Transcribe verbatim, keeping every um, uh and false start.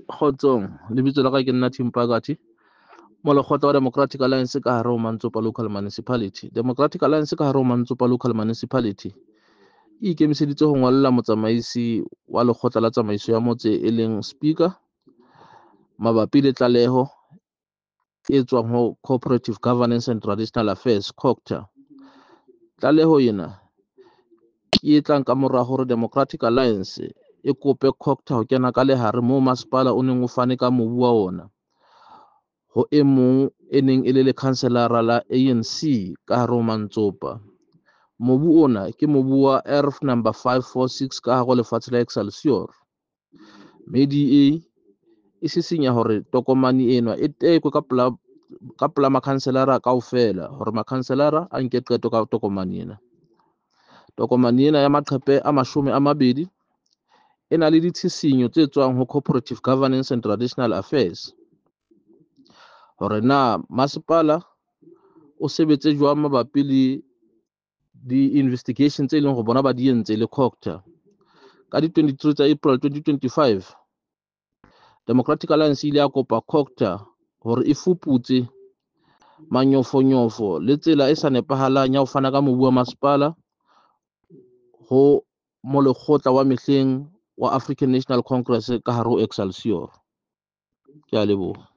Kgotsong, lebitso la ka ke nna Tim Phakathi, molekgotla wa Democratic Alliance ka hare ho Mantsopa Local Municipality. Democratic Alliance ka hare ho Mantsopa Local Municipality e ikemiseditse ho ngolla motsamaisi wa lekgotla la tsamaiso ya motse e leng speaker mabapi le tlaleho e tswang ho Cooperative Governance and Traditional Affairs, COGTA. Tlaleho ena ke e tlang ka mora hore Democratic Alliance e kope COGTA ho kena ka lehare moo masepala o neng o fane ka mobu wa ona ho e mong e neng e le lekhanselara la A N C ka hare ho Mantsopa. Mobu ona ke mobu wa erf number five four six ka hare ho lefatshe la Excelsior. Mme D A e sisinya hore tokomane ena e tekwe ka pela ka pela makhanselara kaofela hore makhanselara a nke qeto ka tokomane ena. Tokomane ena ya maqepe a mashome a mabedi e na le ditshisinyo tse tswang ho Cooperative Governance and Traditional Affairs hore na masepala o sebetse jwang mabapi le di-investigation tse leng hore bona ba di entse le COGTA. Ka di twenty-three tsa April twenty twenty-five, Democratic Alliance e ile ya kopa COGTA hore e fuputse manyofonyofo le tsela e sa nepahalang ya ho fana ka mobu wa masepala ho molekgotla wa mehleng wa African National Congress ka hare ho Excelsior. Ke a leboha.